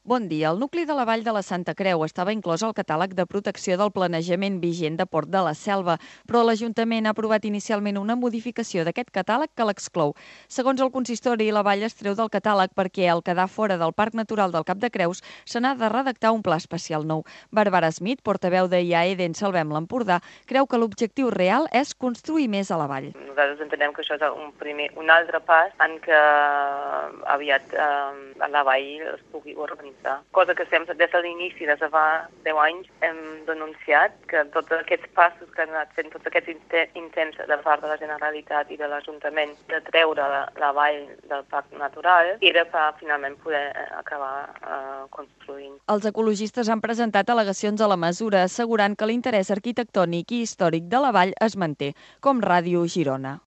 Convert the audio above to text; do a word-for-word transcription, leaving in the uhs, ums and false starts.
Bon dia. El nucli de la Vall de la Santa Creu estava inclòs al catàleg de protecció del planejament vigent de Port de la Selva, però l'Ajuntament ha aprovat inicialment una modificació d'aquest catàleg que l'exclou. Segons el consistori, la vall es treu del catàleg perquè, al quedar fora del Parc Natural del Cap de Creus, se n'ha de redactar un pla especial nou. Bàrbara Smith, portaveu de I A E d'En Salvem l'Empordà, creu que l'objectiu real és construir més a la vall. Nosaltres entenem que això és un, primer, un altre pas en què aviat eh, a la vall es pugui urbanitzar. Cosa que sempre, des de l'inici, des de fa deu anys, hem denunciat que tots aquests passos que han anat fent, tots aquests intents de part de la Generalitat i de l'Ajuntament de treure la, la vall del Parc Natural era per finalment poder acabar eh, construint. Els ecologistes han presentat al·legacions a la mesura, assegurant que l'interès arquitectònic i històric de la vall es manté, com Ràdio Girona.